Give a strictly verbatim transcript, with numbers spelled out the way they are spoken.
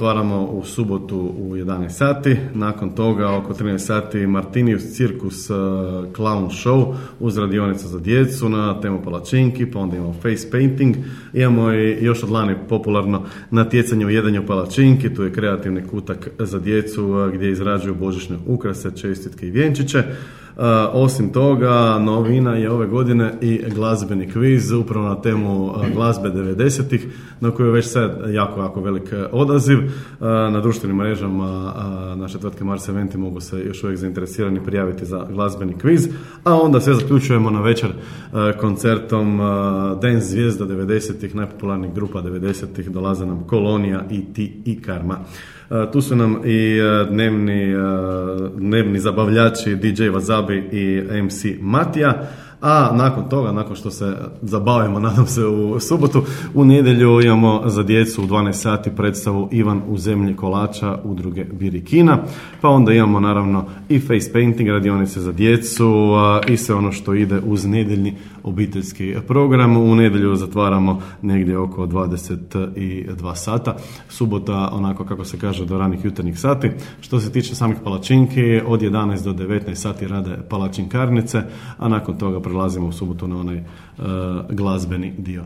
otvaramo u subotu u jedanaest sati, nakon toga oko trinaest sati Martinius Cirkus uh, Clown Show uz radionicu za djecu na temu palačinki, pa onda imamo face painting, imamo i još od lani popularno natjecanje u jedanju palačinki, tu je kreativni kutak za djecu uh, gdje izrađuju božićne ukrase, čestitke i vjenčiće. Uh, osim toga, novina je ove godine i glazbeni kviz upravo na temu uh, glazbe devedesetih, na koju je već sad jako, jako velik odaziv. Uh, na društvenim mrežama uh, naše tvrtke Mars Eventi mogu se još uvijek zainteresirani prijaviti za glazbeni kviz, a onda sve zaključujemo na večer uh, koncertom uh, Dance zvijezda devedesetih, najpopularnijih grupa devedesetih, dolaze nam Kolonija, i ti i Karma. Uh, tu su nam i uh, dnevni, uh, dnevni zabavljači D J Wasabi i M C Matija, a nakon toga, nakon što se zabavimo, nadam se, u subotu, u nedjelju imamo za djecu u dvanaest sati predstavu Ivan u zemlji kolača udruge Birikina, pa onda imamo naravno i face painting, radionice za djecu i sve ono što ide uz nedjeljni obiteljski program. U nedjelju zatvaramo negdje oko dvadeset dva sata, subota onako kako se kaže do ranih jutarnjih sati. Što se tiče samih palačinki, od jedanaest do devetnaest sati rade palačinkarnice, a nakon toga prelazimo u subotu na onaj uh, glazbeni dio.